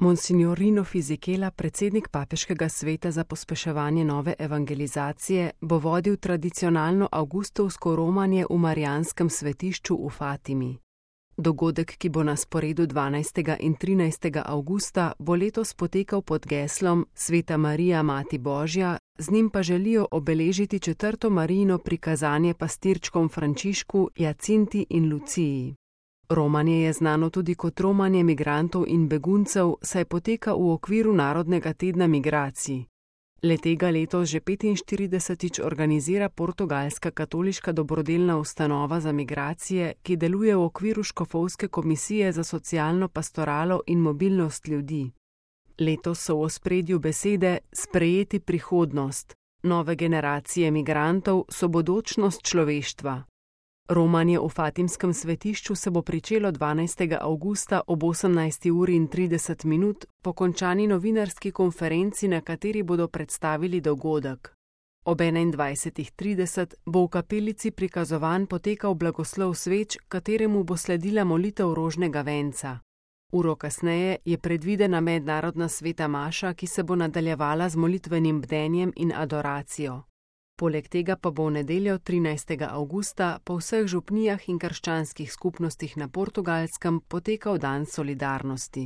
Monsignor Rino Fisichella, predsednik Papeškega sveta za pospeševanje nove evangelizacije, bo vodil tradicionalno avgustovsko romanje v Marijanskem svetišču v Fatimi. Dogodek, ki bo na sporedu 12. in 13. avgusta, bo letos potekal pod geslom Sveta Marija, Mati Božja, z njim pa želijo obeležiti 4. Marijino prikazanje pastirčkom Frančišku, Jacinti in Luciji. Romanje je znano tudi kot romanje migrantov in beguncev, saj poteka v okviru Narodnega tedna migracij. Le-tega letos že 45. organizira portugalska katoliška dobrodelna ustanova za migracije, ki deluje v okviru Škofovske komisije za socialno pastoralo in mobilnost ljudi. Letos so v ospredju besede sprejeti prihodnost. Nove generacije migrantov so bodočnost človeštva. Romanje v Fatimskem svetišču se bo pričelo 12. avgusta ob 18:30 po končani novinarski konferenci, na kateri bodo predstavili dogodek. Ob 21:30 bo v kapelici prikazovan potekal blagoslov sveč, kateremu bo sledila molitev rožnega venca. Uro kasneje je predvidena mednarodna sveta maša, ki se bo nadaljevala z molitvenim bdenjem in adoracijo. Poleg tega pa bo v nedeljo 13. avgusta po vseh župnijah in krščanskih skupnostih na Portugalskem potekal dan solidarnosti.